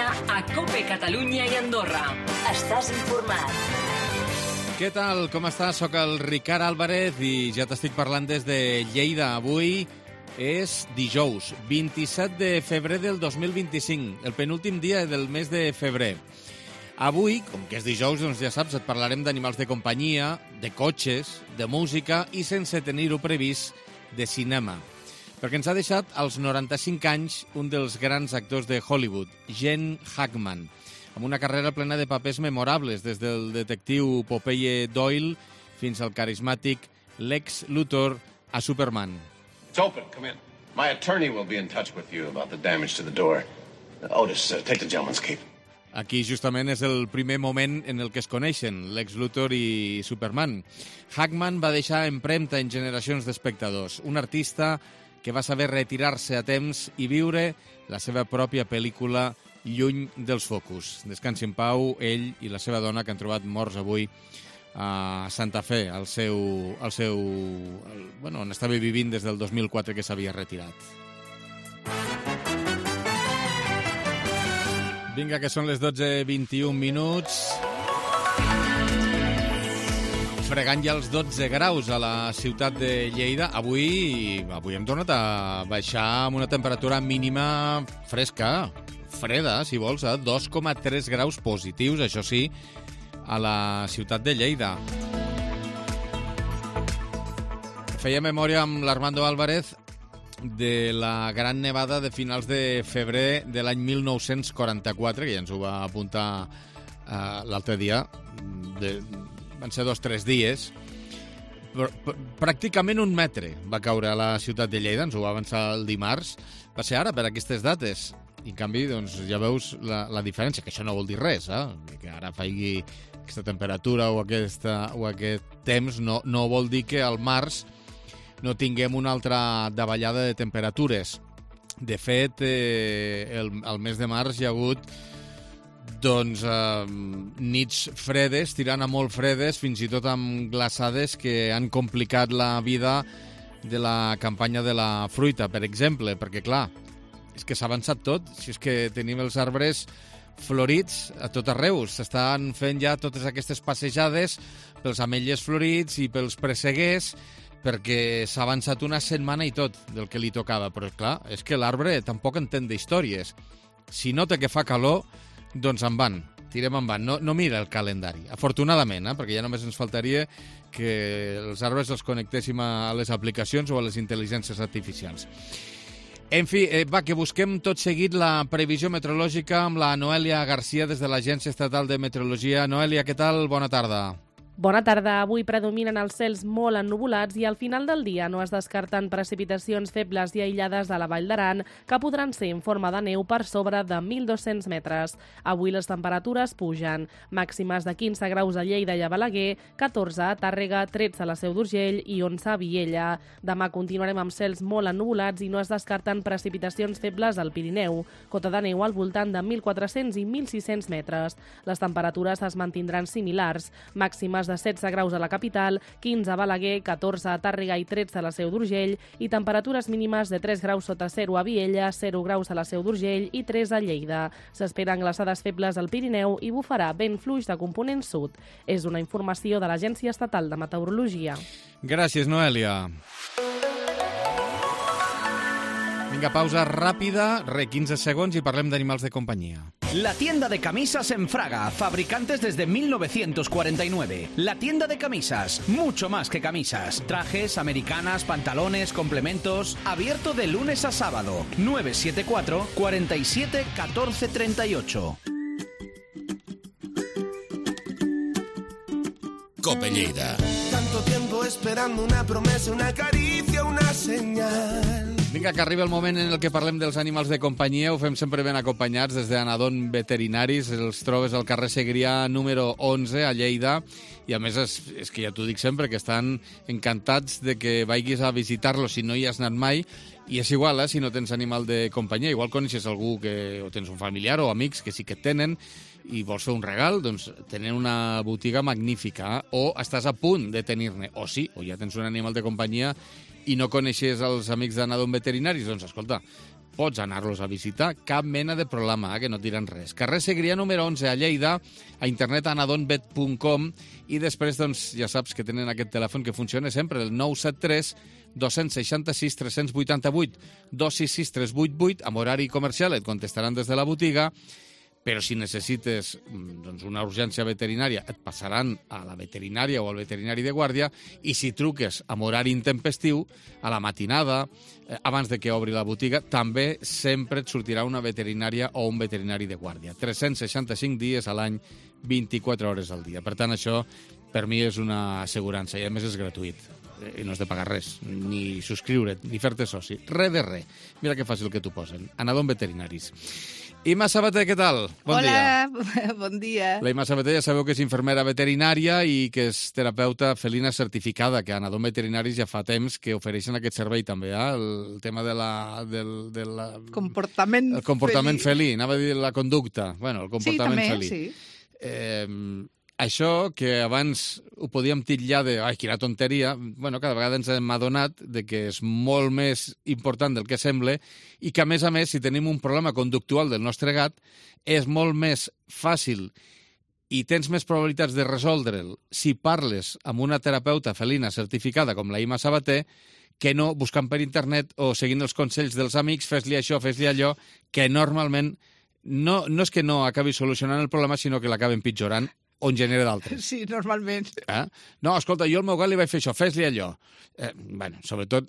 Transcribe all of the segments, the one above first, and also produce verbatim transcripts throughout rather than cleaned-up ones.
dia a COPE Catalunya i Andorra. Estàs informat. Què tal? Com estàs? Soc el Ricard Álvarez i ja t'estic parlant des de Lleida. Avui és dijous, vint-i-set de febrer del dos mil vint-i-cinc, el penúltim dia del mes de febrer. Avui, com que és dijous, doncs ja saps, et parlarem d'animals de companyia, de cotxes, de música i, sense tenir-ho previst, de cinema. Perquè ens ha deixat als noranta-cinc anys un dels grans actors de Hollywood, Gene Hackman, amb una carrera plena de papers memorables, des del detectiu Popeye Doyle fins al carismàtic Lex Luthor a Superman. It's open. Come in. My attorney will be in touch with you about the damage to the door. Otis, uh, take the gentleman's cape. Aquí justament és el primer moment en el que es coneixen, Lex Luthor i Superman. Hackman va deixar empremta en generacions d'espectadors, un artista que va saber retirar-se a temps i viure la seva pròpia pel·lícula lluny dels focus. Descansi en pau ell i la seva dona, que han trobat morts avui a Santa Fe, al seu, al seu, el, bueno, on estava vivint des del dos mil quatre, que s'havia retirat. Vinga, que són les dotze vint-i-un minuts. Fregant ja els dotze graus a la ciutat de Lleida. Avui, avui hem tornat a baixar amb una temperatura mínima fresca, freda, si vols, a dos coma tres graus positius, això sí, a la ciutat de Lleida. Feia memòria amb l'Armando Álvarez de la gran nevada de finals de febrer de l'any mil nou-cents quaranta-quatre, que ja ens ho va apuntar uh, l'altre dia, de, van ser dos o tres dies, pr pr pràcticament un metre va caure a la ciutat de Lleida, ens ho va avançar el dimarts, va ser ara per aquestes dates, i en canvi doncs, ja veus la, la diferència, que això no vol dir res, eh? Que ara faigui aquesta temperatura o, aquesta, o aquest temps no, no vol dir que al març no tinguem una altra davallada de temperatures. De fet, eh, el, el mes de març hi ha hagut doncs, eh, nits fredes, tirant a molt fredes, fins i tot amb glaçades que han complicat la vida de la campanya de la fruita, per exemple, perquè, clar, és que s'ha avançat tot. Si és que tenim els arbres florits a tot arreu. S'estan fent ja totes aquestes passejades pels ametllers florits i pels presseguers, perquè s'ha avançat una setmana i tot del que li tocava. Però, clar, és que l'arbre tampoc entén d'històries. Si nota que fa calor, doncs en van, tirem en van. No, no mira el calendari, afortunadament, eh? Perquè ja només ens faltaria que els arbres els connectéssim a les aplicacions o a les intel·ligències artificials. En fi, eh, va, que busquem tot seguit la previsió meteorològica amb la Noelia Garcia des de l'Agència Estatal de Meteorologia. Noelia, què tal? Bona tarda. Bona tarda. Avui predominen els cels molt ennuvolats i al final del dia no es descarten precipitacions febles i aïllades a la Vall d'Aran que podran ser en forma de neu per sobre de mil dos-cents metres. Avui les temperatures pugen. Màximes de quinze graus a Lleida i a Balaguer, catorze a Tàrrega, tretze a la Seu d'Urgell i onze a Viella. Demà continuarem amb cels molt ennuvolats i no es descarten precipitacions febles al Pirineu. Cota de neu al voltant de mil quatre-cents i mil sis-cents metres. Les temperatures es mantindran similars. Màximes de setze graus a la capital, quinze a Balaguer, catorze a Tàrrega i tretze a la Seu d'Urgell i temperatures mínimes de tres graus sota zero a Viella, zero graus a la Seu d'Urgell i tres a Lleida. S'esperen glaçades febles al Pirineu i bufarà vent fluix de component sud. És una informació de l'Agència Estatal de Meteorologia. Gràcies, Noelia. Vinga, pausa ràpida, re, quinze segons i parlem d'animals de companyia. La tienda de camisas en Fraga, fabricantes desde mil novecientos cuarenta y nueve. La tienda de camisas, mucho más que camisas. Trajes, americanas, pantalones, complementos. Abierto de lunes a sábado. nueve siete cuatro, cuatro siete, uno cuatro tres ocho. COPE Lleida. Tanto tiempo esperando una promesa, una caricia, una señal. Vinga, que arriba el moment en el que parlem dels animals de companyia. Ho fem sempre ben acompanyats des d'Anadon Veterinaris. Els trobes al carrer Segrià número onze a Lleida. I a més, és, és que ja t'ho dic sempre, que estan encantats de que vagis a visitar-los si no hi has anat mai. I és igual, eh, si no tens animal de companyia. Igual coneixes algú que o tens un familiar o amics que sí que tenen i vols fer un regal, doncs tenen una botiga magnífica. Eh? O estàs a punt de tenir-ne. O sí, o ja tens un animal de companyia i no coneixes els amics d'Anadon Veterinaris, doncs escolta, pots anar-los a visitar, cap mena de problema, eh, que no et diran res. Carrer Segrià número onze a Lleida, a internet anadonvet punt com, i després doncs, ja saps que tenen aquest telèfon que funciona sempre, el nou set tres dos sis sis tres vuit vuit, dos sis sis tres vuit vuit, amb horari comercial et contestaran des de la botiga, però si necessites doncs, una urgència veterinària et passaran a la veterinària o al veterinari de guàrdia, i si truques amb horari intempestiu, a la matinada, eh, abans de que obri la botiga, també sempre et sortirà una veterinària o un veterinari de guàrdia. tres-cents seixanta-cinc dies a l'any, vint-i-quatre hores al dia. Per tant, això per mi és una assegurança i a més és gratuït. I no has de pagar res, ni subscriure't, ni fer-te soci. Res de res. Mira que fàcil que t'ho posen. Anadon Veterinaris. Imma Sabater, què tal? Bon Hola, dia. bon dia. La Imma Sabater ja sabeu que és infermera veterinària i que és terapeuta felina certificada, que a Anadon Veterinaris ja fa temps que ofereixen aquest servei també, eh? El tema de la... Del, de la comportament el comportament felí. felí. Anava a dir la conducta. Bueno, el comportament sí, també, felí. Sí, Eh, això, que abans ho podíem titllar de ai, quina tonteria, bueno, cada vegada ens hem adonat de que és molt més important del que sembla i que, a més a més, si tenim un problema conductual del nostre gat, és molt més fàcil i tens més probabilitats de resoldre'l si parles amb una terapeuta felina certificada com la Imma Sabater que no buscant per internet o seguint els consells dels amics, fes-li això, fes-li allò, que normalment no, no és que no acabi solucionant el problema, sinó que l'acaben pitjorant o en genera d'altres. Sí, normalment. Eh? No, escolta, jo al meu gat li vaig fer això, fes-li allò. Eh, bueno, sobretot,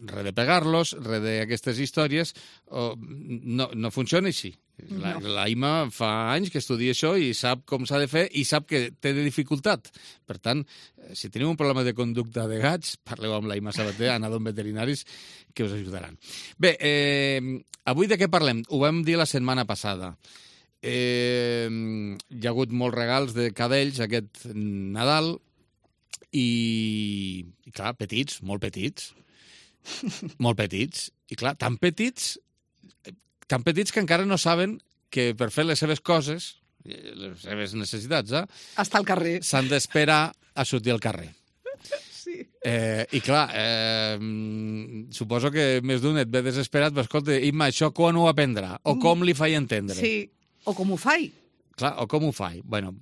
res de pegar-los, res d'aquestes històries, o, no, no funciona així. La, No. la Imma fa anys que estudia això i sap com s'ha de fer i sap que té de dificultat. Per tant, si teniu un problema de conducta de gats, parleu amb la Imma Sabater, Anadon Veterinaris, que us ajudaran. Bé, eh, avui de què parlem? Ho vam dir la setmana passada. Eh, hi ha hagut molts regals de cadells aquest Nadal i, i clar, petits, molt petits, molt petits, i clar, tan petits, tan petits que encara no saben que per fer les seves coses, les seves necessitats, eh, Hasta el carrer. s'han d'esperar a sortir al carrer. Sí. Eh, I clar, eh, suposo que més d'un et ve desesperat, però escolta, Imma, això quan ho aprendrà? O com li faig entendre? Sí, o com ho faig. Clar, o com ho faig? Bueno,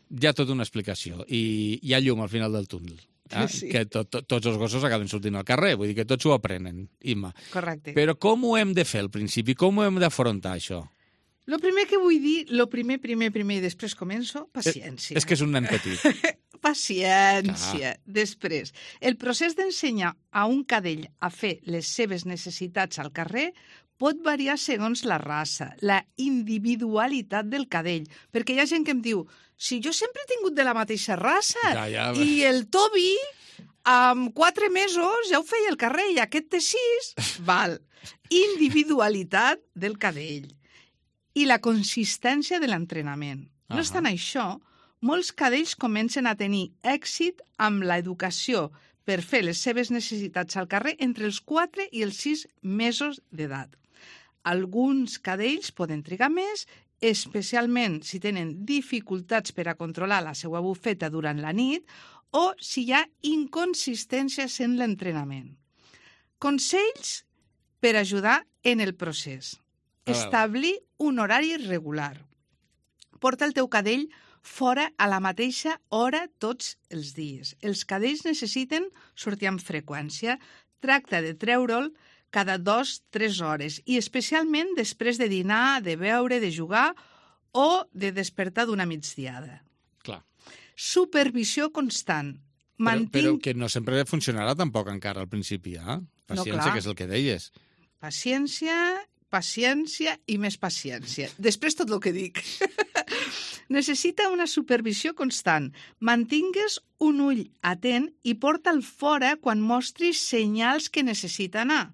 hi ha tota una explicació i hi ha llum al final del túnel. Eh? Sí. Que to, to, tots els gossos acaben sortint al carrer, vull dir que tots ho aprenen, Imma. Correcte. Però com ho hem de fer al principi? Com ho hem d'afrontar, això? Lo primer que vull dir, lo primer, primer, primer, i després començo, paciència. És que és un nen petit. Paciència. Ah. Després, el procés d'ensenyar a un cadell a fer les seves necessitats al carrer pot variar segons la raça, la individualitat del cadell. Perquè hi ha gent que em diu, si jo sempre he tingut de la mateixa raça, Ja, ja. i el Toby, amb quatre mesos, ja ho feia al carrer, i aquest té sis, val. Individualitat del cadell i la consistència de l'entrenament. No Ahà. obstant això, molts cadells comencen a tenir èxit amb l'educació per fer les seves necessitats al carrer entre els quatre i els sis mesos d'edat. Alguns cadells poden trigar més, especialment si tenen dificultats per a controlar la seva bufeta durant la nit o si hi ha inconsistències en l'entrenament. Consells per ajudar en el procés. A veure. Establir un horari regular. Porta el teu cadell fora a la mateixa hora tots els dies. Els cadells necessiten sortir amb freqüència. Tracta de treure'l cada dos o tres hores i especialment després de dinar, de beure, de jugar o de despertar d'una migdiada. Clar. Supervisió constant. Però, Mantinc... però que no sempre funcionarà tampoc encara al principi, eh? Paciència, clar. que és el que deies. Paciència, paciència i més paciència. Després tot el que dic. Necessita una supervisió constant. Mantingues un ull atent i porta'l fora quan mostris senyals que necessita anar.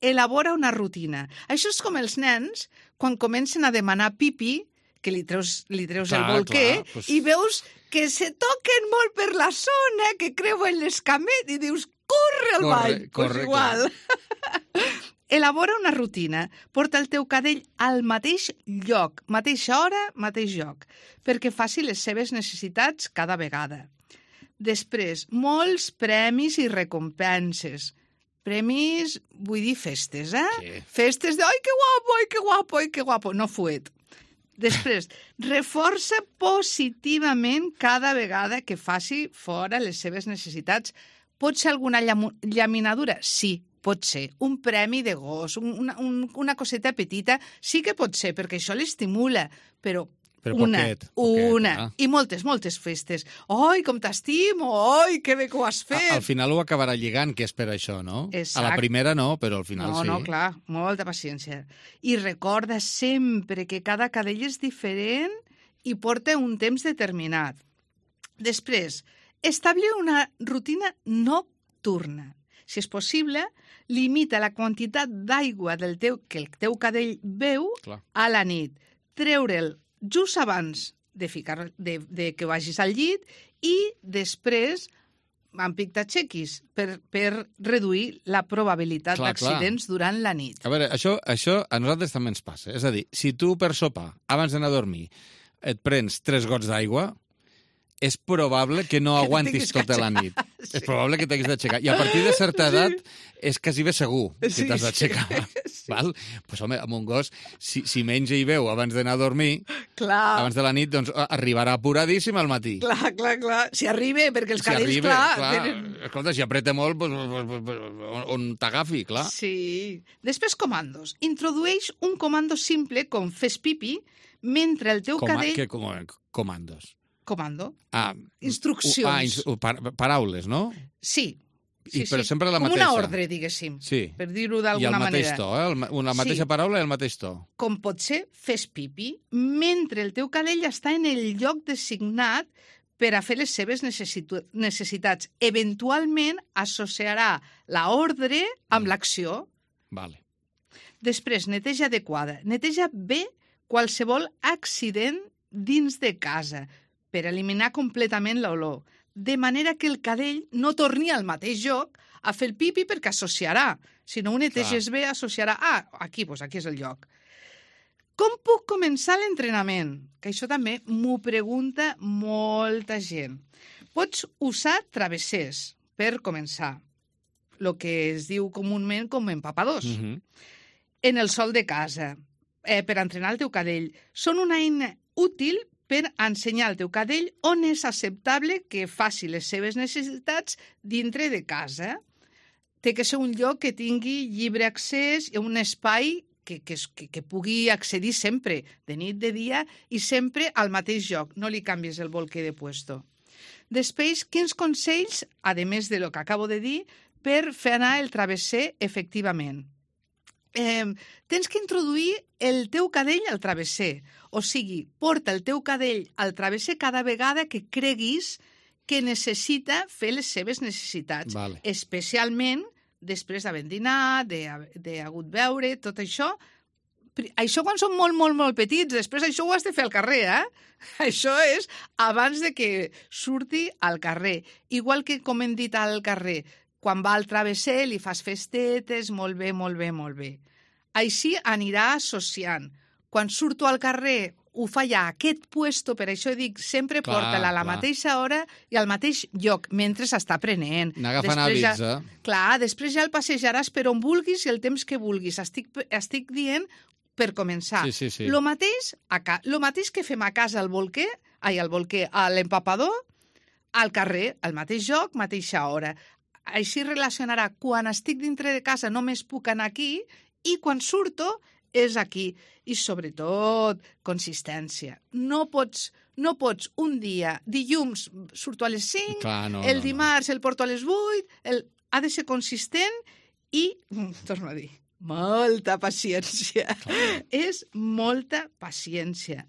Elabora una rutina. Això és com els nens, quan comencen a demanar pipi, que li treus, li treus Clar, el bolquer, clar, pues- i veus que se toquen molt per la zona, que creuen l'escamet, i dius, corre al Corre, ball. corre, pues igual. Elabora una rutina. Porta el teu cadell al mateix lloc, mateixa hora, mateix lloc, perquè faci les seves necessitats cada vegada. Després, molts premis i recompenses. Premis, vull dir festes, eh? Sí. Festes de, ai, que guapo, ai, que guapo, ai, que guapo. No fuet. Després, reforça positivament cada vegada que faci fora les seves necessitats. Pot ser alguna llam- llaminadura? Sí, pot ser. Un premi de gos, un, una, un, una coseta petita, sí que pot ser, perquè això l'estimula, però Però una, poquet, poquet, una, ah. i moltes, moltes festes. Ai, com t'estimo, ai, que bé que ho has fet. A, al final ho acabarà lligant, que és per això, no? Exacte. A la primera no, però al final no, sí. No, clar, molta paciència. I recorda sempre que cada cadell és diferent i porta un temps determinat. Després, establir una rutina nocturna. Si és possible, limita la quantitat d'aigua del teu, que el teu cadell beu Clar. a la nit. Treure'l just abans de, ficar, de, de que vagis al llit i després amb pictatxequis per, per reduir la probabilitat Clar, d'accidents durant la nit. A veure, això, això a nosaltres també ens passa. És a dir, si tu per sopar, abans d'anar a dormir, et prens tres gots d'aigua, és probable que no Que aguantis t'haguis tota la nit. Sí. És probable que t'haguis d'aixecar. I a partir de certa edat és quasi bé segur que Sí, t'has d'aixecar. sí. Val? Pues, home, amb un gos, si, si menja i beu abans d'anar a dormir, Clar, abans de la nit, doncs arribarà apuradíssim al matí. clar, clar, clar. Si arriba, perquè els Si cadells, arriba, clar... clar, tenen... escolta, si apreta molt, pues, pues, pues, pues, on, on t'agafi, clar. Sí. Després, comandos. Introdueix un comando simple com fes pipi mentre el teu Com, cadell... que, com, comandos. Comando. Ah, Instruccions. Ah, ins, par, paraules, no? Sí. Sí, I, però sí. sempre la com mateixa. una ordre, diguéssim, Sí. per dir-ho I d'alguna el mateix manera. to, eh? El, ma- la mateixa Sí. paraula i el mateix to. Com pot ser fes pipi mentre el teu cadell està en el lloc designat per a fer les seves necessitu- necessitats. Eventualment associarà la ordre amb l'acció. Vale. Després, neteja adequada. Neteja bé qualsevol accident dins de casa per eliminar completament l'olor, de manera que el cadell no torni al mateix lloc a fer el pipi perquè associarà. Si no ho neteges bé, associarà, ah, aquí, doncs aquí és el lloc. Com puc començar l'entrenament? Que això també m'ho pregunta molta gent. Pots usar travessers per començar, el que es diu comúment com empapadors. Uh -huh. En el sol de casa, eh, per entrenar el teu cadell. Són una eina útil per ensenyar al teu cadell on és acceptable que faci les seves necessitats dintre de casa. Té que ser un lloc que tingui lliure accés i un espai que, que, que, que pugui accedir sempre, de nit, de dia, i sempre al mateix lloc. No li canvies el bolquer de puesto. Després, quins consells, a més de lo que acabo de dir, per fer anar el travesser efectivament? Eh, tens que introduir el teu cadell al travesser. O sigui, porta el teu cadell al travesser cada vegada que creguis que necessita fer les seves necessitats. Vale. Especialment després d'haver dinat, d'hagut beure, tot això. Això quan són molt, molt, molt petits. Després això ho has de fer al carrer, eh? Això és abans de que surti al carrer. Igual que, com hem dit al carrer, quan va al travesser li fas festetes, molt bé, molt bé, molt bé. Així anirà associant. Quan surto al carrer ho fa ja a aquest puesto, per això dic, sempre Clar, porta-la a la clar. mateixa hora i al mateix lloc, mentre s'està prenent. Anar agafant Després hàbits, ja, eh? Clar, després ja el passejaràs per on vulguis i el temps que vulguis. Estic, estic dient per començar. Sí, sí, sí. Lo mateix, a ca... Lo mateix que fem a casa al bolquer, ai, al bolquer, a l'empapador, al carrer, al mateix lloc, mateixa hora. Així relacionarà quan estic dintre de casa només puc anar aquí i quan surto és aquí. I sobretot consistència. No pots, no pots un dia, dilluns surto a les cinc, Clar, no, el no, no. dimarts el porto a les vuit, el... ha de ser consistent i, torno a dir, molta paciència. És molta paciència.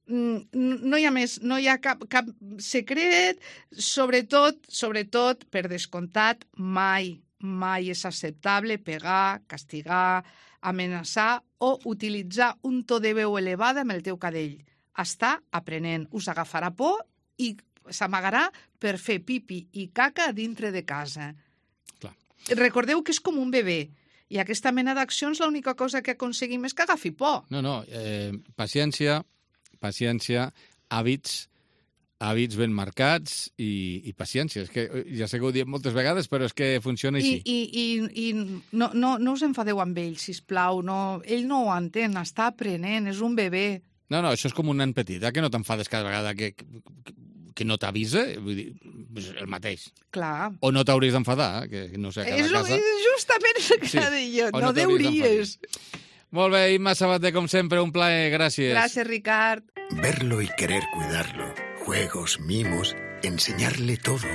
No hi ha més, no hi ha cap, cap secret, sobretot, sobretot, per descomptat, mai, mai és acceptable pegar, castigar, amenaçar o utilitzar un to de veu elevada amb el teu cadell. Està aprenent, us agafarà por i s'amagarà per fer pipi i caca dintre de casa. Clar. Recordeu que és com un bebè i aquesta mena d'accions l'única cosa que aconseguim és que agafi por. No, no, eh, paciència, paciència, hàbits, hàbits ben marcats i, i paciència. És que ja sé que ho diem moltes vegades, però és que funciona així. I, i, i, i no, no, no us enfadeu amb ell, sisplau. No, ell no ho entén, està aprenent, és un bebè. No, no, això és com un nen petit, eh? Que no t'enfades cada vegada que, que, que no t'avisa, vull dir, el mateix. Clar. O no t'hauries d'enfadar, que no sé, a cada és, casa... És justament el que Sí. sí. jo, O no, no no deuries. Molt bé, Imma Sabater, com sempre, un plaer, gràcies. Gràcies, Ricard. Verlo y querer cuidarlo. Juegos, mimos, enseñarle todo.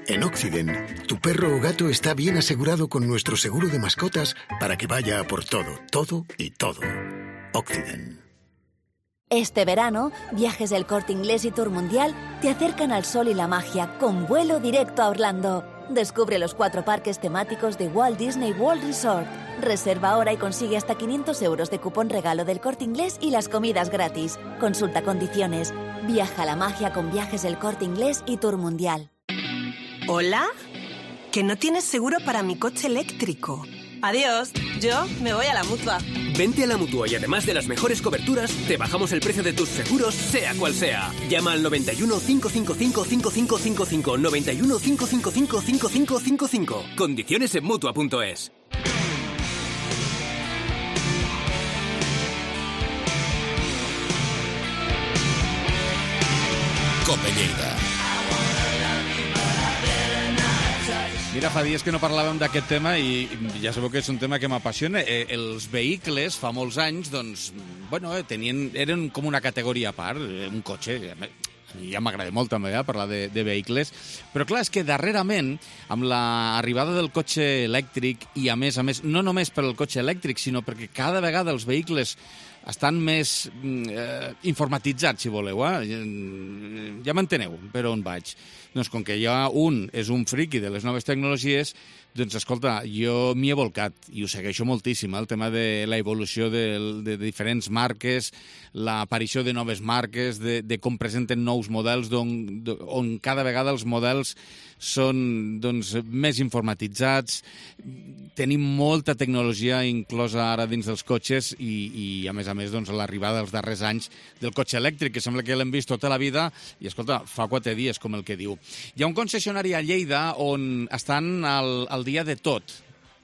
En Occident, tu perro o gato está bien asegurado con nuestro seguro de mascotas para que vaya a por todo, todo y todo. Occident. Este verano, Viajes del Corte Inglés y Tour Mundial te acercan al sol y la magia con vuelo directo a Orlando. Descubre los cuatro parques temáticos de Walt Disney World Resort. Reserva ahora y consigue hasta quinientos euros de cupón regalo del Corte Inglés y las comidas gratis. Consulta condiciones. Viaja a la magia con Viajes del Corte Inglés y Tour Mundial. ¿Hola? Que no tienes seguro para mi coche eléctrico. Adiós, yo me voy a la Mutua. Vente a la Mutua y además de las mejores coberturas, te bajamos el precio de tus seguros, sea cual sea. Llama al noventa y uno, cinco cinco cinco, cinco cinco cinco cinco, noventa y uno, cinco cinco cinco, cinco cinco cinco cinco. Condiciones en Mutua punto es. Cope Lleida. Mira, fa dies que no parlàvem d'aquest tema i ja sabeu que és un tema que m'apassiona. Eh, els vehicles, fa molts anys, doncs, bueno, eh, tenien, eren com una categoria a part, un cotxe, ja m'agrada molt també eh, parlar de, de vehicles, però clar, és que darrerament, amb l'arribada del cotxe elèctric i a més a més, no només per al cotxe elèctric, sinó perquè cada vegada els vehicles estan més eh, informatitzats, si voleu, eh? Ja m'enteneu per on vaig. Doncs com que hi ha un, és un friqui de les noves tecnologies, doncs escolta, jo m'hi he volcat i ho segueixo moltíssim, el tema de la evolució de, de diferents marques, l'aparició de noves marques, de, de com presenten nous models, on, on cada vegada els models són doncs, més informatitzats, tenim molta tecnologia inclosa ara dins dels cotxes i, i a més a més, doncs, l'arribada dels darrers anys del cotxe elèctric, que sembla que l'hem vist tota la vida, i escolta, fa quatre dies, com el que diu. Hi ha un concessionari a Lleida on estan al, al dia de tot,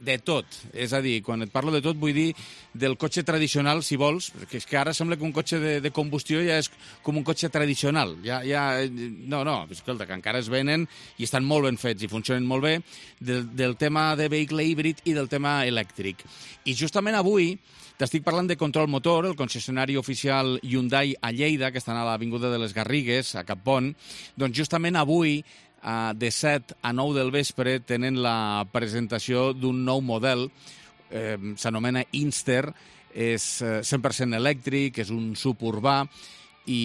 de tot. És a dir, quan et parlo de tot vull dir del cotxe tradicional, si vols, perquè és que ara sembla que un cotxe de, de combustió ja és com un cotxe tradicional. Ja, ja, no, no, escolta, que encara es venen i estan molt ben fets i funcionen molt bé, del, del tema de vehicle híbrid i del tema elèctric. I justament avui t'estic parlant de Control Motor, el concessionari oficial Hyundai a Lleida, que estan a l'Avinguda de les Garrigues, a Cap Pont. Doncs justament avui, de set a nou del vespre, tenen la presentació d'un nou model, eh, s'anomena Inster, és cent per cent elèctric, és un suburbà, i,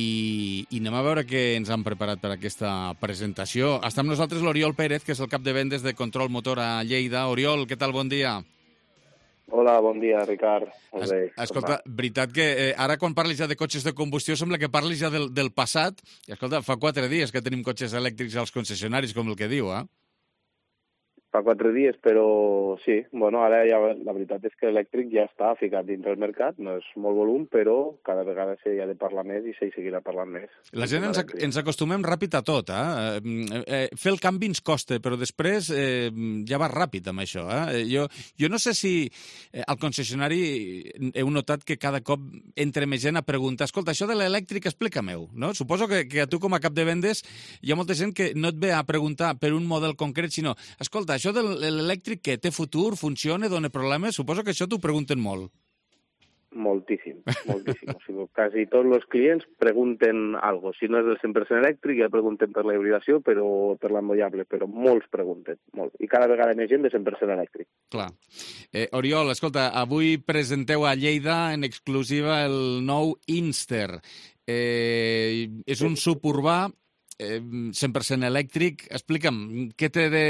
i anem a veure què ens han preparat per aquesta presentació. Està amb nosaltres l'Oriol Pérez, que és el cap de vendes de Control Motor a Lleida. Oriol, què tal? Bon dia. Hola, bon dia, Ricard. Es, escolta, veritat que eh, ara quan parlis ja de cotxes de combustió sembla que parlis ja del, del passat. I escolta, fa quatre dies que tenim cotxes elèctrics als concessionaris, com el que diu, eh? Fa quatre dies, però sí. Bueno, ara ja, la veritat és que l'elèctric ja està ficat dins del mercat, no és molt volum, però cada vegada s'hi ha de parlar més i s'hi seguirà parlant més. La gent ens, ens acostumem ràpid a tot, eh? eh? Fer el canvi ens costa, però després eh, ja va ràpid amb això, eh? Jo, jo no sé si eh, al concessionari heu notat que cada cop entre més gent a preguntar, escolta, això de l'elèctric explica-m'ho, no? Suposo que, que a tu com a cap de vendes hi ha molta gent que no et ve a preguntar per un model concret, sinó, escolta, això de l'elèctric que té futur, funciona, dona problemes? Suposo que això t'ho pregunten molt. Moltíssim, moltíssim. O sigui, quasi tots els clients pregunten alguna cosa. Si no és del cent per cent elèctric, ja pregunten per la hibridació, però per l'emmollable, però molts pregunten, molt. I cada vegada més gent de cent per cent elèctric. Clar. Eh, Oriol, escolta, avui presenteu a Lleida en exclusiva el nou Inster. Eh, és un suburbà cent per cent elèctric. Explica'm, què té de,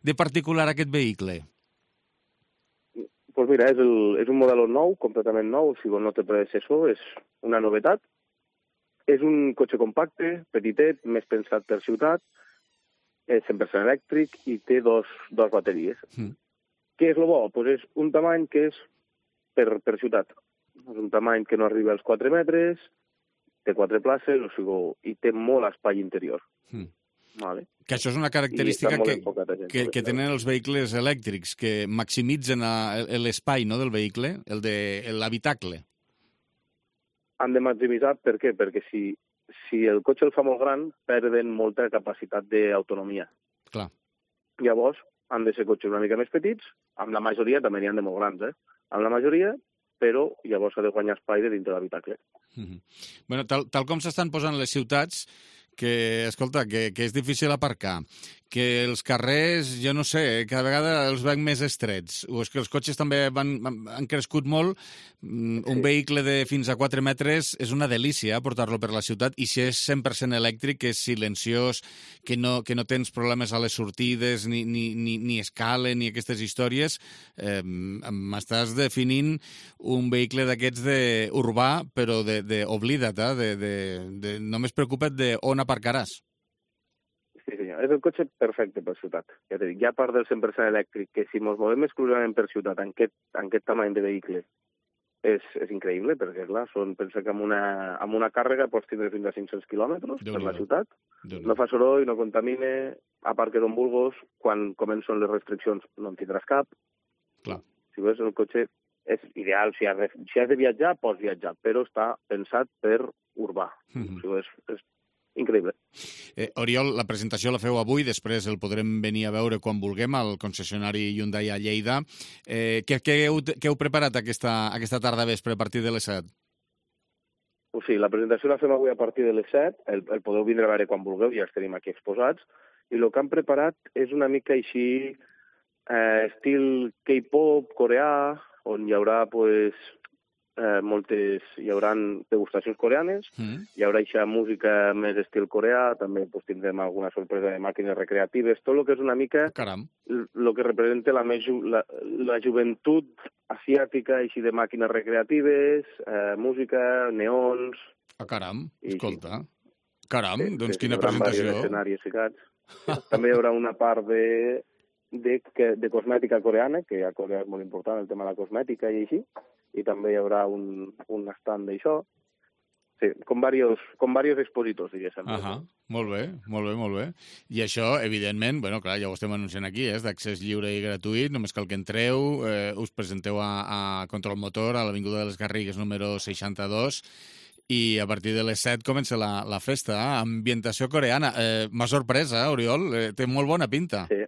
de particular aquest vehicle? Doncs pues mira, és, el, és un model nou, completament nou, o sigui, no té predecessor, és una novetat. És un cotxe compacte, petitet, més pensat per ciutat, és cent per cent elèctric i té dos, dos bateries. Mm. Què és el bo? Pues és un tamany que és per, per ciutat. És un tamany que no arriba als quatre metres, té quatre places, o sigui, i té molt espai interior. Mm. Vale. Que això és una característica que, que, que tenen els vehicles elèctrics, que maximitzen l'espai, no, del vehicle, el de l'habitacle. Han de maximitzar, per què? Perquè si, si el cotxe el fa molt gran, perden molta capacitat d'autonomia. Clar. Llavors, han de ser cotxes una mica més petits, amb la majoria també n'hi ha de molt grans, eh? Amb la majoria, però llavors s'ha de guanyar espai de dintre l'habitacle. Mm-hmm. Bueno, tal, tal com s'estan posant les ciutats, que, escolta, que, que és difícil aparcar, que els carrers, jo no sé, cada vegada els veig més estrets, o és que els cotxes també van, han crescut molt. Un sí. vehicle de fins a quatre metres és una delícia portar-lo per la ciutat, i si és cent per cent elèctric, que és silenciós, que no, que no tens problemes a les sortides, ni, ni, ni, ni escala, ni aquestes històries, eh, m'estàs definint un vehicle d'aquests de urbà, però de, de oblida't, eh, de, de, de, només preocupa't de on aparcaràs. Sí, senyor. És el cotxe perfecte per ciutat. Ja t'he dit, hi ha part del cent per cent elèctric, que si ens movem exclusivament per ciutat, en aquest, en aquest tamany de vehicle, és, és increïble, perquè, clar, són, pensa que amb una, amb una càrrega pots tindre fins a cinc-cents quilòmetres per la ciutat. No fa soroll, no contamina, aparques on vulguis, quan comencen les restriccions no en tindràs cap. Clar. Si veus, el cotxe és ideal. Si has de, si has de viatjar, pots viatjar, però està pensat per urbà. Mm-hmm. Si veus, és increïble. Eh, Oriol, la presentació la feu avui, després el podrem venir a veure quan vulguem al concessionari Hyundai a Lleida. Eh, què, què, heu, què heu preparat aquesta, aquesta tarda vespre a partir de les set? O sigui, la presentació la fem avui a partir de les set, el, el podeu vindre a veure quan vulgueu, ja els tenim aquí exposats, i el que han preparat és una mica així eh, estil K-pop coreà, on hi haurà pues, Eh, moltes, hi haurà degustacions coreanes, mm. hi haurà aquesta música més estil coreà, també pues, tindrem alguna sorpresa de màquines recreatives, tot el que és una mica el que representa la, més, la, la joventut asiàtica, així de màquines recreatives, eh, música, neons... Ah, caram, escolta. I, caram, sí, doncs sí, quina presentació. Escenaris ficats. També hi haurà una part de, de, de cosmètica coreana, que a Corea és molt important el tema de la cosmètica i així, i també hi haurà un, un stand d'això. Sí, com diversos, com diversos expositors, diguéssim. Ahà, molt bé, molt bé, molt bé. I això, evidentment, bueno, clar, ja ho estem anunciant aquí, és d'accés lliure i gratuït, només cal que entreu, eh, us presenteu a, a Control Motor, a l'Avinguda de les Garrigues número seixanta-dos, i a partir de les set comença la, la festa, eh? Ambientació coreana. Eh, M'ha sorpresa, eh, Oriol? Eh, té molt bona pinta. Sí.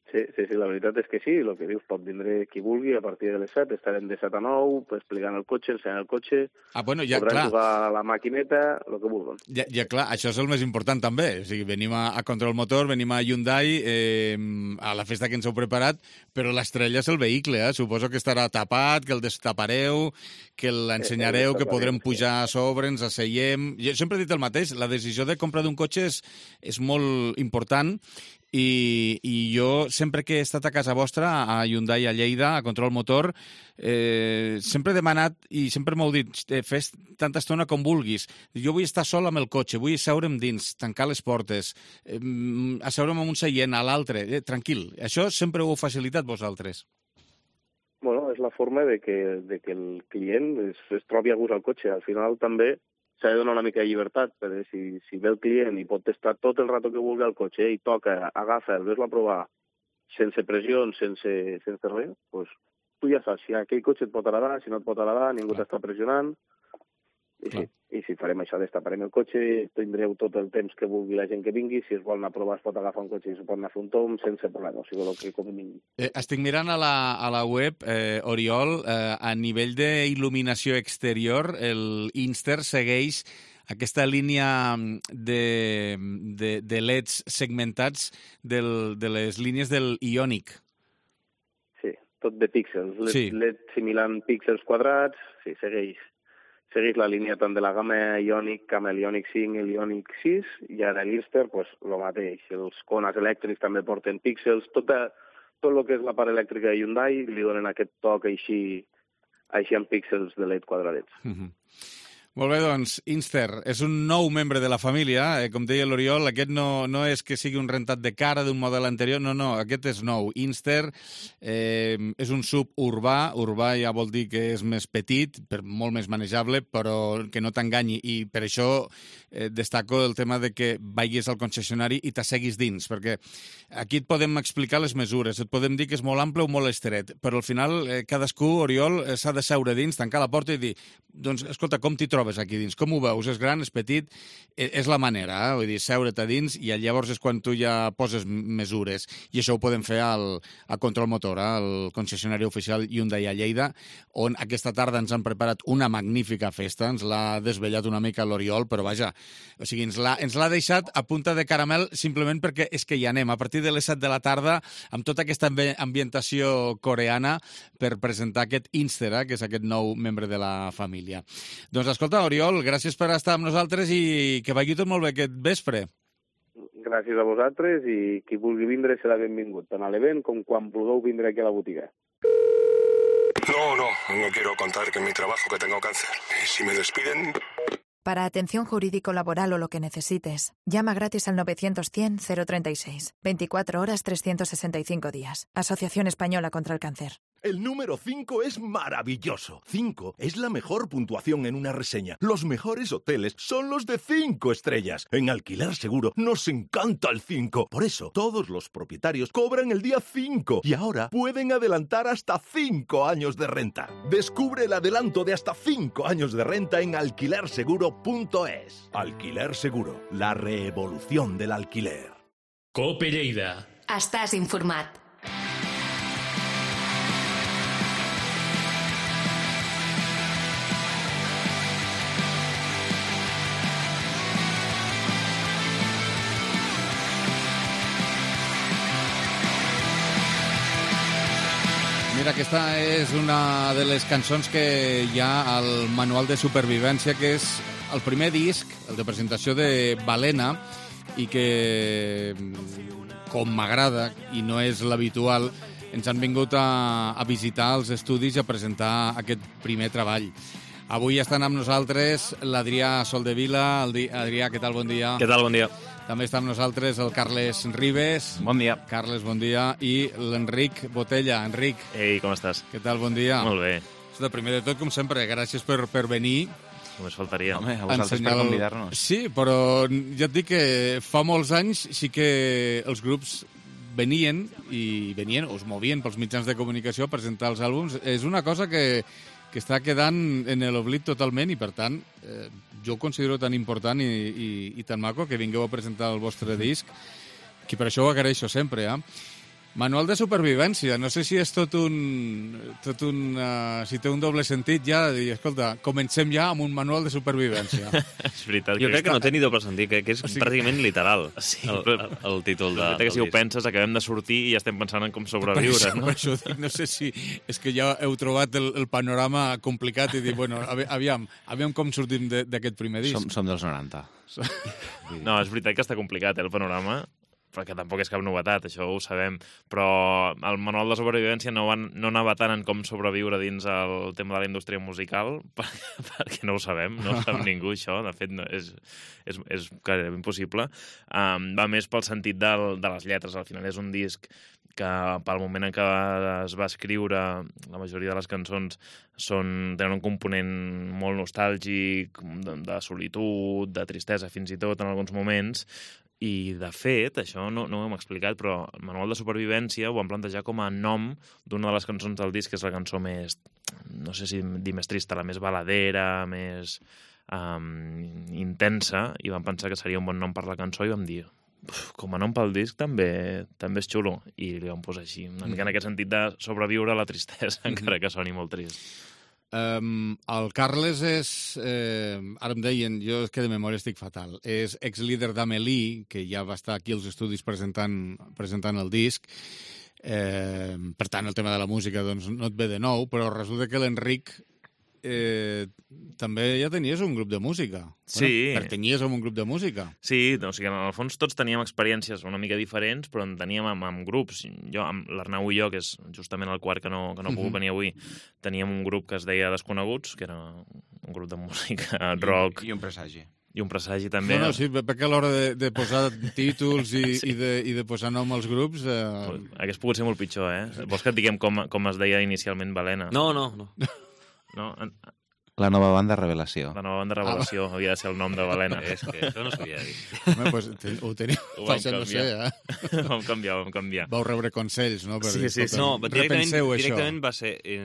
Sí, sí, sí, la veritat és que sí, el que dius, pot vindre qui vulgui a partir de les set, estarem de set a nou, explicant el cotxe, ensenyant el cotxe, ah, bueno, ja, podran clar. jugar a la maquineta, el que vulguin. Ja, ja, clar, això és el més important també, o sigui, venim a, a Control Motor, venim a Hyundai, eh, a la festa que ens heu preparat, però l'estrella és el vehicle, eh? Suposo que estarà tapat, que el destapareu, que l'ensenyareu, que podrem pujar a sobre, ens asseiem... Jo sempre he dit el mateix, la decisió de compra d'un cotxe és, és molt important. I, i jo, sempre que he estat a casa vostra, a Hyundai, a Lleida, a Control Motor, eh, sempre he demanat, i sempre m'heu dit, eh, fes tanta estona com vulguis. Jo vull estar sol amb el cotxe, vull asseure'm dins, tancar les portes, eh, asseure'm en un seient, a l'altre, eh, tranquil. Això sempre ho heu facilitat vosaltres. Bueno, és la forma de que, de que el client es, es trobi a gust al cotxe. Al final també s'ha de donar una mica de llibertat, perquè si, si ve el client i pot estar tot el rato que vulgui al cotxe i toca, agafa, el ves-lo a provar sense pressió, sense, sense res, doncs tu ja saps si aquell cotxe et pot agradar, si no et pot agradar, ningú t'està pressionant. I sí, i si farem això, destaparem el cotxe, tindreu tot el temps que vulgui la gent que vingui, si es vol anar a provar es pot agafar un cotxe i es pot anar a fer un tom sense problema, o sigui, el que com vingui. Eh, estic mirant a la, a la web, eh, Oriol, eh, a nivell d'il·luminació exterior, el Inster segueix aquesta línia de, de, de L E Ds segmentats del, de les línies del Ioniq. Sí, tot de píxels, sí. L E D simulant píxels quadrats, sí, segueix. Segueix la línia tant de la gamma Ioniq, amb el Ioniq cinc i el Ioniq sis, i ara l'Inster, pues, el mateix. Els cones elèctrics també porten píxels. Tot, a, tot el que és la part elèctrica de Hyundai li donen aquest toc així, així amb píxels de L E D quadradets. Mm-hmm. Molt bé, doncs, Inster és un nou membre de la família. Eh, com deia l'Oriol, aquest no, no és que sigui un rentat de cara d'un model anterior, no, no, aquest és nou. Inster eh, és un sub urbà, urbà ja vol dir que és més petit, per, molt més manejable, però que no t'enganyi, i per això eh, destaco el tema de que vagis al concessionari i t'asseguis dins, perquè aquí et podem explicar les mesures, et podem dir que és molt ample o molt estret, però al final eh, cadascú, Oriol, eh, s'ha de seure dins, tancar la porta i dir, doncs, escolta, com t'hi trobes aquí dins? Com ho veus? És gran, és petit? Eh, és la manera, eh? Vull dir, seure't a dins i llavors és quan tu ja poses mesures. I això ho podem fer al, a Control Motor, eh? al concessionari oficial Hyundai a Lleida, on aquesta tarda ens han preparat una magnífica festa, ens l'ha desvetllat una mica l'Oriol, però vaja, o sigui, ens l'ha ens l'ha deixat a punta de caramel simplement perquè és que hi anem, a partir de les set de la tarda, amb tota aquesta ambientació coreana, per presentar aquest Inster, eh? que és aquest nou membre de la família. Doncs escolta, Oriol, gràcies per estar amb nosaltres i que vagi tot molt bé aquest vespre. Gràcies a vosaltres i qui vulgui vindre serà benvingut, tant a l'event com quan vulgueu vindre aquí a la botiga. No, no, no quiero contar que en mi trabajo que tengo cáncer. Y si me despiden... Para atención jurídico-laboral o lo que necesites, llama gratis al novecientos cien cero treinta y seis. veinticuatro horas, trescientos sesenta y cinco días. Asociación Española contra el Cáncer. El número cinco es maravilloso. cinco es la mejor puntuación en una reseña. Los mejores hoteles son los de cinco estrellas. En Alquiler Seguro nos encanta el cinco. Por eso, todos los propietarios cobran el día cinco y ahora pueden adelantar hasta cinco años de renta. Descubre el adelanto de hasta cinco años de renta en alquiler seguro punto es. Alquiler Seguro, la revolución del alquiler. Cope Lleida. Estàs informat. Mira, aquesta és una de les cançons que hi ha al Manual de Supervivència, que és el primer disc, el de presentació de Balena, i que, com m'agrada, i no és l'habitual, ens han vingut a, a visitar els estudis i a presentar aquest primer treball. Avui estan amb nosaltres l'Adrià Soldevila. Adrià, què tal? Bon dia. Què tal? Bon dia. També està amb nosaltres el Carles Ribes. Bon dia. Carles, bon dia. I l'Enric Botella. Enric. Ei, com estàs? Què tal? Bon dia. Molt bé. De primer de tot, com sempre, gràcies per, per venir. Només faltaria. Home, a vosaltres per convidar-nos. Sí, però ja et dic que fa molts anys sí que els grups venien i venien o es movien pels mitjans de comunicació a presentar els àlbums. És una cosa que, que està quedant en l'oblit totalment i, per tant, eh, jo ho considero tan important i, i, i tan maco que vingueu a presentar el vostre disc, que per això ho agraeixo sempre, eh? Manual de supervivència, no sé si és tot un... Tot un uh, si té un doble sentit ja, de dir, escolta, comencem ja amb un manual de supervivència. És veritat. Jo crec que no té ni doble sentit, que, que és o sigui, pràcticament literal, sí, el, el, el títol de, del que si ho penses, acabem de sortir i ja estem pensant en com sobreviure, per això, no? Per això dic, no sé si és que ja heu trobat el, el panorama complicat i dir, bueno, aviam, aviam com sortim d'aquest primer disc. Som, som dels noranta. No, és veritat que està complicat, eh, el panorama, perquè tampoc és cap novetat, això ho sabem, però el manual de supervivència no, van, no anava tant en com sobreviure dins el tema de la indústria musical, perquè, perquè no ho sabem, no ho sap ningú això, de fet no, és, és, és impossible. Um, va més pel sentit del, de les lletres, al final és un disc que pel moment en què es va escriure, la majoria de les cançons són, tenen un component molt nostàlgic, de, de solitud, de tristesa fins i tot en alguns moments. I, de fet, això no, no ho hem explicat, però el Manual de Supervivència ho vam plantejar com a nom d'una de les cançons del disc, que és la cançó més, no sé si dir més trista, la més baladera, més um, intensa, i vam pensar que seria un bon nom per la cançó i vam dir, com a nom pel disc també també és xulo, i li vam posar així, una mica en aquest sentit de sobreviure a la tristesa, encara que soni molt trist. Um, el Carles és, eh, ara em deien, jo és que de memòria estic fatal, és ex-líder d'Amelie, que ja va estar aquí als estudis presentant, presentant el disc, eh, per tant el tema de la música doncs, no et ve de nou, però resulta que l'Enric eh, també ja tenies un grup de música. Sí. Bueno, pertanyies a un grup de música. Sí, o sigui, en el fons tots teníem experiències una mica diferents, però en teníem amb, amb grups. Jo, amb l'Arnau i jo, que és justament el quart que no, que no ha pogut venir avui, teníem un grup que es deia Desconeguts, que era un grup de música rock. I un presagi. I un presagi també. No, no, sí, perquè a l'hora de, de posar títols i, sí. i, de, i de posar nom als grups... Eh... Hagués pogut ser molt pitjor, eh? Vols que et diguem com, com es deia inicialment Balena? No, no, no. No? La nova banda Revelació. La nova banda Revelació ah. havia de ser el nom de Balena. És que això no s'havia dit. Home, pues, te, ho teniu, ho això no sé, eh? Ho vam canviar, ho vam canviar. Vau rebre consells, no? Per sí, dir, sí, sí. No, directament, directament això. va ser... Eh,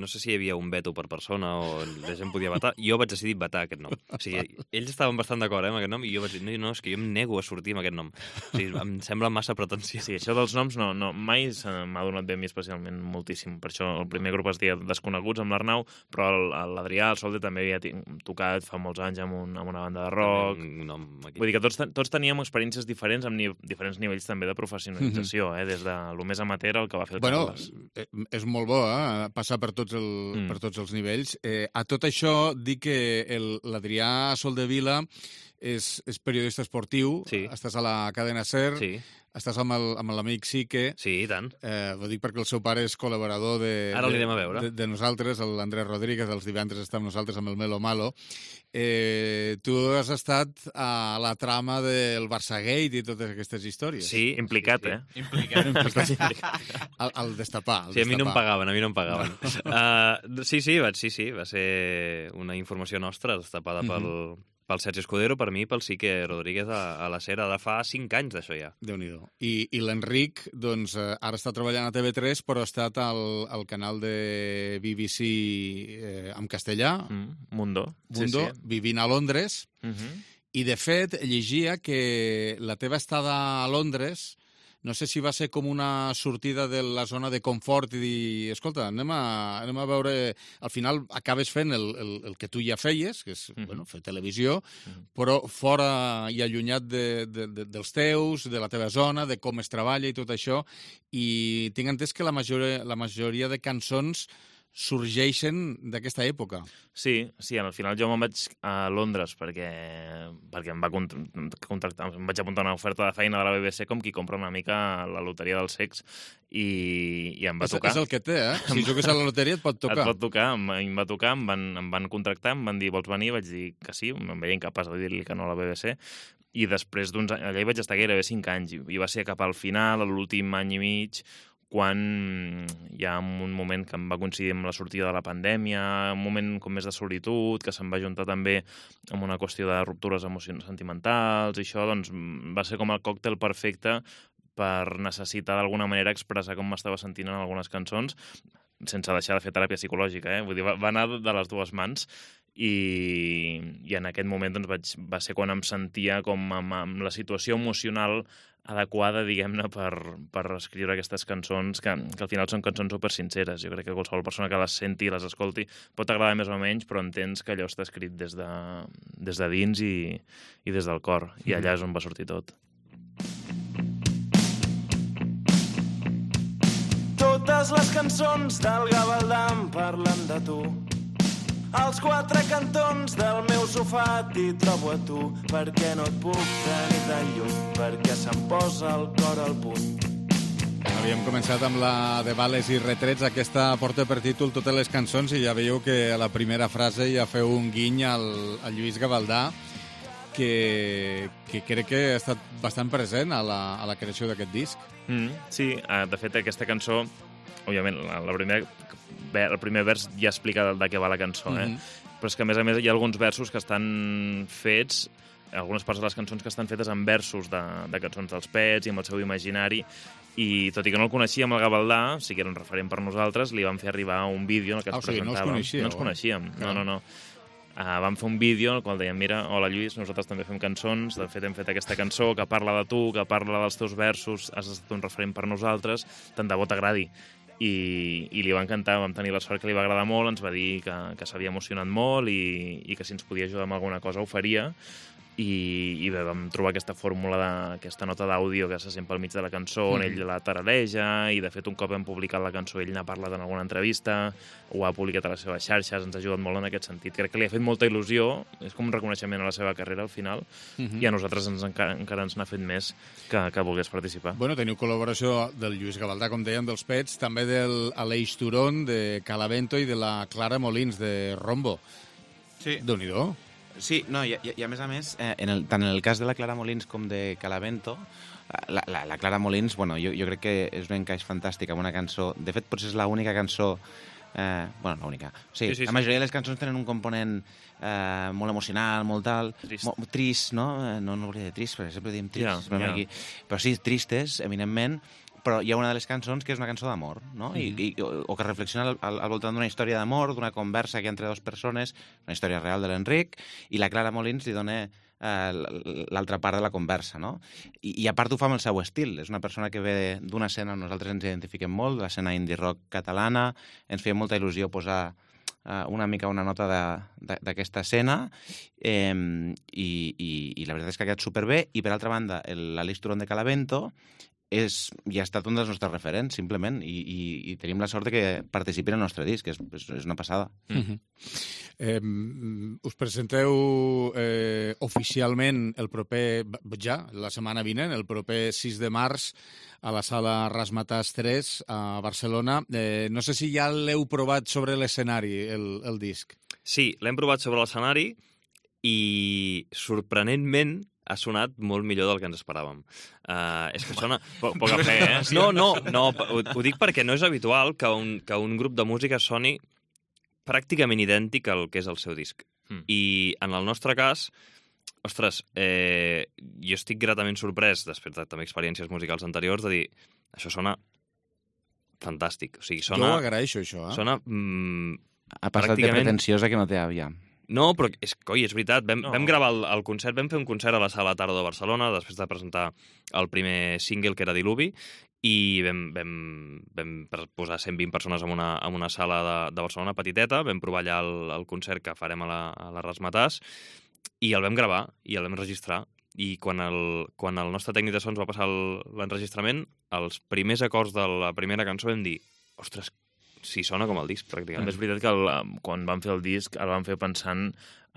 no sé si hi havia un veto per persona o la gent podia vetar. Jo vaig decidir vetar aquest nom. O sigui, ells estaven bastant d'acord eh, amb aquest nom i jo vaig dir, no, no, és que jo em nego a sortir amb aquest nom. O sigui, em sembla massa pretensió. Sí, això dels noms no, no mai m'ha donat bé a mi especialment moltíssim. Per això el primer grup es deia Desconeguts amb l'Arnau, però l'Adrià, el Solde, també havia tocat fa molts anys amb, un, amb una banda de rock. No, Vull dir que tots, tots teníem experiències diferents amb ni, diferents nivells també de professionalització, mm -hmm. eh? Des de lo més amateur al que va fer el bueno, Carles. És molt bo, eh? Passar per tots, el, mm. per tots els nivells. Eh, a tot això, dic que l'Adrià Soldevila és, és periodista esportiu, sí. Estàs a la cadena SER, sí. Estàs amb l'amic Sique. Sí, i tant. Eh, ho dic perquè el seu pare és col·laborador de, Ara l'anem a veure. De, de nosaltres, l'Andrés Rodríguez, els divendres està amb nosaltres amb el Melo Malo. Eh, tu has estat a la trama del Barçagate i totes aquestes històries. Sí, implicat, sí, sí. eh? Implicat. implicat. al, al destapar. Al sí, a mi no em destapar. pagaven, a mi no em pagaven. uh, sí, sí, va, sí, sí, va ser una informació nostra destapada pel... Mm -hmm. pel Sergi Escudero, per mi, pel Sique Rodríguez a, a la SER, de fa cinc anys d'això ja. Déu-n'hi-do. I, i l'Enric, doncs, eh, ara està treballant a T V tres, però ha estat al, al canal de B B C eh, en castellà. Mm, Mundo. Mundo, sí, sí. vivint a Londres. Uh-huh. I, de fet, llegia que la teva estada a Londres, no sé si va ser com una sortida de la zona de confort i dir, escolta, anem a, anem a veure... Al final acabes fent el, el, el que tu ja feies, que és uh-huh. bueno, fer televisió, uh-huh. però fora i allunyat de, de, de, dels teus, de la teva zona, de com es treballa i tot això, i tinc entès que la majoria, la majoria de cançons sorgeixen d'aquesta època. Sí, sí, al final jo me'n vaig a Londres perquè, perquè em va contractar, em vaig apuntar una oferta de feina de la B B C com qui compra una mica la loteria del sex i, i em va és, tocar. És el que té, eh? Si jugues a la loteria et pot tocar. Et pot tocar, em, em va tocar, em van, em van contractar, em van dir, vols venir? Vaig dir que sí, em veia incapaç de dir-li que no a la B B C, i després d'uns anys, allà hi vaig estar gairebé cinc anys, i va ser cap al final, a l'últim any i mig, quan hi ha un moment que em va coincidir amb la sortida de la pandèmia, un moment com més de solitud, que se'm va juntar també amb una qüestió de ruptures emocionals sentimentals, i això doncs, va ser com el còctel perfecte per necessitar d'alguna manera expressar com m'estava sentint en algunes cançons, sense deixar de fer teràpia psicològica, eh? Vull dir, va, va anar de les dues mans, i, i en aquest moment doncs, vaig, va ser quan em sentia com amb, amb la situació emocional adequada, diguem-ne, per, per escriure aquestes cançons, que, que al final són cançons super sinceres. Jo crec que qualsevol persona que les senti i les escolti pot agradar més o menys, però entens que allò està escrit des de, des de dins i, i des del cor. I allà és on va sortir tot. Totes les cançons del Gavaldà parlen de tu. Als quatre cantons del meu sofà t'hi trobo a tu, perquè no et puc tenir tan lluny, perquè se'm posa el cor al punt. Havíem començat amb la de Vales i Retrets, aquesta porta per títol totes les cançons, i ja veieu que a la primera frase ja feu un guiny al, al Lluís Gavaldà, que, que crec que ha estat bastant present a la, a la creació d'aquest disc. Mm, sí, de fet aquesta cançó, òbviament, la, la primera... el primer vers ja explica de, de què va la cançó, eh? Mm-hmm. Però és que, a més a més, hi ha alguns versos que estan fets, algunes parts de les cançons que estan fetes en versos de, de cançons dels Pets i amb el seu imaginari, i tot i que no el coneixíem, el Gavaldà, sí que era un referent per nosaltres, li vam fer arribar un vídeo en el que ah, ens o sigui, presentàvem. No, coneixíeu, no ens coneixíem, no, no, no. Uh, vam fer un vídeo en el qual dèiem, mira, hola Lluís, nosaltres també fem cançons, de fet hem fet aquesta cançó que parla de tu, que parla dels teus versos, has estat un referent per nosaltres, tant de bo t'agradi. I, i li va encantar, vam tenir la sort que li va agradar molt, ens va dir que, que s'havia emocionat molt i, i que si ens podia ajudar amb alguna cosa ho faria, i, i bé, vam trobar aquesta fórmula, d'aquesta nota d'àudio que se sent pel mig de la cançó, on ell la tarareja, i de fet un cop hem publicat la cançó ell n'ha parlat en alguna entrevista, ho ha publicat a les seves xarxes, ens ha ajudat molt en aquest sentit. Crec que li ha fet molta il·lusió, és com un reconeixement a la seva carrera al final, uh-huh. i a nosaltres ens, encara, encara ens n'ha fet més que, que volgués participar. Bueno, teniu col·laboració del Lluís Gavaldà, com dèiem, dels Pets, també del Aleix Turón, de Calavento, i de la Clara Molins, de Rombo. Sí. Déu-n'hi-do. Sí, no, i, i, i a més a més, eh, en el, tant en el cas de la Clara Molins com de Calavento, la, la, la Clara Molins, bueno, jo, jo crec que és un encaix fantàstic amb una cançó. De fet, potser és l'única cançó... Eh, bueno, l'única. Sí, sí, sí, la majoria sí. de les cançons tenen un component eh, molt emocional, molt tal... Trist. Mo, trist, no? No, no volia dir trist, perquè sempre diem trist. Yeah, yeah. Aquí. Però sí, tristes, eminentment, però hi ha una de les cançons que és una cançó d'amor, no? Mm. I, i, o, o que reflexiona al, al, al voltant d'una història d'amor, d'una conversa que hi ha entre dues persones, una història real de l'Enric, i la Clara Molins li dona eh, l'altra part de la conversa, no? I, i a part ho fa amb el seu estil. És una persona que ve d'una escena on nosaltres ens identifiquem molt, l'escena indie rock catalana, ens feia molta il·lusió posar eh, una mica una nota d'aquesta escena, eh, i, i, i la veritat és que ha quedat superbé, i per altra banda, l'Aleix Turón de Calavento és, ja ha estat un dels nostres referents, simplement, i, i, i tenim la sort de que participi en el nostre disc, és, és, és una passada. Mm-hmm. eh, us presenteu eh, oficialment el proper, ja, la setmana vinent, el proper sis de març, a la sala Razzmatazz tres, a Barcelona. Eh, no sé si ja l'heu provat sobre l'escenari, el, el disc. Sí, l'hem provat sobre l'escenari i, sorprenentment, ha sonat molt millor del que ens esperàvem. Uh, és que sona... Po poc a fer, eh? No, no, no, ho, ho dic perquè no és habitual que un, que un grup de música soni pràcticament idèntic al que és el seu disc. Mm. I en el nostre cas, ostres, eh, jo estic gratament sorprès, després de també experiències musicals anteriors, de dir, això sona fantàstic. O sigui, sona... Jo ho agraeixo, això, eh? Sona... Mm, ha passat pràcticament... de pretensiosa que no té àvia. No, però és, coi, és veritat. Vam, no. vam gravar el, el concert, vam fer un concert a la Sala Tardo de Barcelona, després de presentar el primer single, que era Diluvi, i vam, vam, vam posar cent vint persones en una, en una sala de, de Barcelona petiteta, vam provar allà el, el concert que farem a la, a la Razzmatazz, i el vam gravar, i el vam registrar. I quan el, quan el nostre tècnic de sons va passar l'enregistrament, els primers acords de la primera cançó vam dir, ostres, sí, sona com el disc, pràcticament. És veritat que el, quan vam fer el disc el vam fer pensant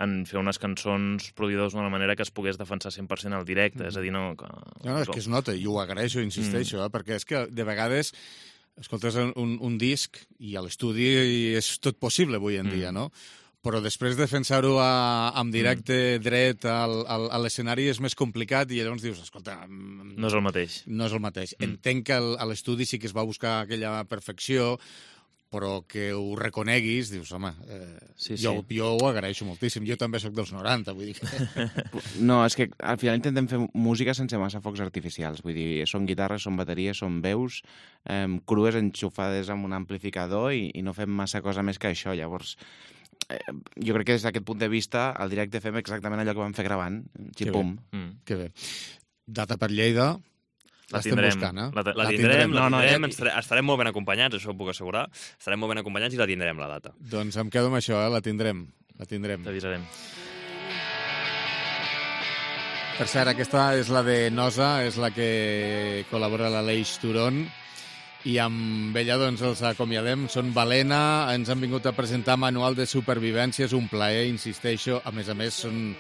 en fer unes cançons produïdes d'una manera que es pogués defensar cent per cent al directe, mm. és a dir, no... Que... No, no, és que es nota, i ho agraeixo, insisteixo, mm. eh, perquè és que de vegades escoltes un, un disc i a l'estudi és tot possible avui en mm. dia, no? Però després de defensar-ho en directe, mm. dret, al, al, a l'escenari és més complicat i llavors dius, escolta... No és el mateix. No és el mateix. Mm. Entenc que a l'estudi sí que es va buscar aquella perfecció, però que ho reconeguis, dius, home, eh, sí, sí. Jo, jo ho agraeixo moltíssim. Jo també sóc dels noranta, vull dir que... No, és que al final intentem fer música sense massa focs artificials. Vull dir, són guitarres, són bateries, són veus, eh, crues enxufades amb un amplificador i, i no fem massa cosa més que això. Llavors, eh, jo crec que des d'aquest punt de vista, al directe fem exactament allò que vam fer gravant. Xipum. Que bé. Mm. Que bé. Data per Lleida... La tindrem, buscant, eh? la, la, la tindrem, la no, tindrem, no, estarem, estarem molt ben acompanyats, això ho puc assegurar, estarem molt ben acompanyats i la tindrem, la data. Doncs em quedo amb això, eh? la tindrem, la tindrem. T'avisarem. Per cert, aquesta és la de Nosa, és la que col·labora l'Aleix Turón, i amb ella doncs els acomiadem. Són Balena, ens han vingut a presentar Manual de Supervivència, és un plaer, insisteixo, a més a més són...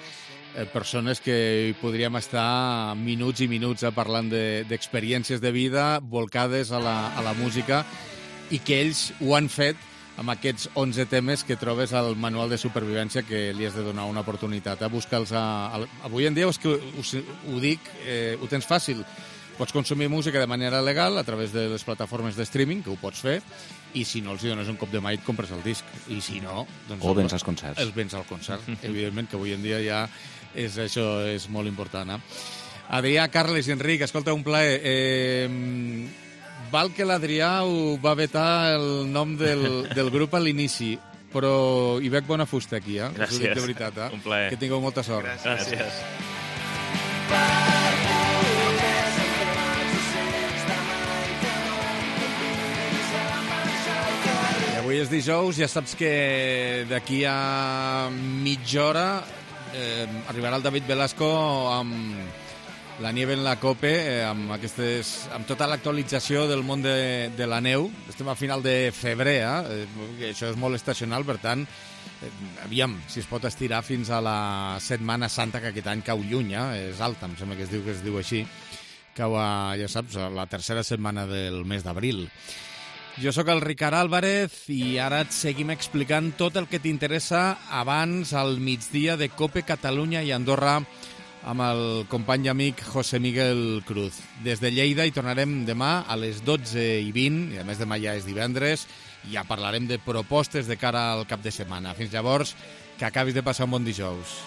persones que hi podríem estar minuts i minuts eh, parlant d'experiències de, de vida volcades a la, a la música i que ells ho han fet amb aquests onze temes que trobes al Manual de Supervivència que li has de donar una oportunitat. Eh? Busca'ls a, a, avui en dia és que us, ho dic, eh, ho tens fàcil. Pots consumir música de manera legal a través de les plataformes de streaming, que ho pots fer, i si no els dones un cop de mà i et compres el disc. I si no... Doncs o vens als concerts. Els vens al concert. Evidentment que avui en dia ja és, això és molt important. Eh? Adrià, Carles i Enric, escolta, un plaer. Eh, val que l'Adrià ho va vetar el nom del, del grup a l'inici, però hi veig bona fusta aquí, eh? Gràcies. Us ho dic de veritat, eh? Un plaer. Que tingueu molta sort. Gràcies. Gràcies. Avui és dijous, ja saps que d'aquí a mitja hora eh, arribarà el David Velasco amb la Nieve en la Cope, eh, amb, aquestes, amb tota l'actualització del món de, de la neu. Estem a final de febrer, eh? Això és molt estacional, per tant, eh, aviam si es pot estirar fins a la Setmana Santa, que aquest any cau lluny, eh? És alta, em sembla que es diu que es diu així, cau a, ja saps, a la tercera setmana del mes d'abril. Jo sóc el Ricard Álvarez i ara et seguim explicant tot el que t'interessa abans al migdia de COPE Catalunya i Andorra amb el company i amic José Miguel Cruz. Des de Lleida hi tornarem demà a les dotze i vint, i a més demà ja és divendres, i ja parlarem de propostes de cara al cap de setmana. Fins llavors, que acabis de passar un bon dijous.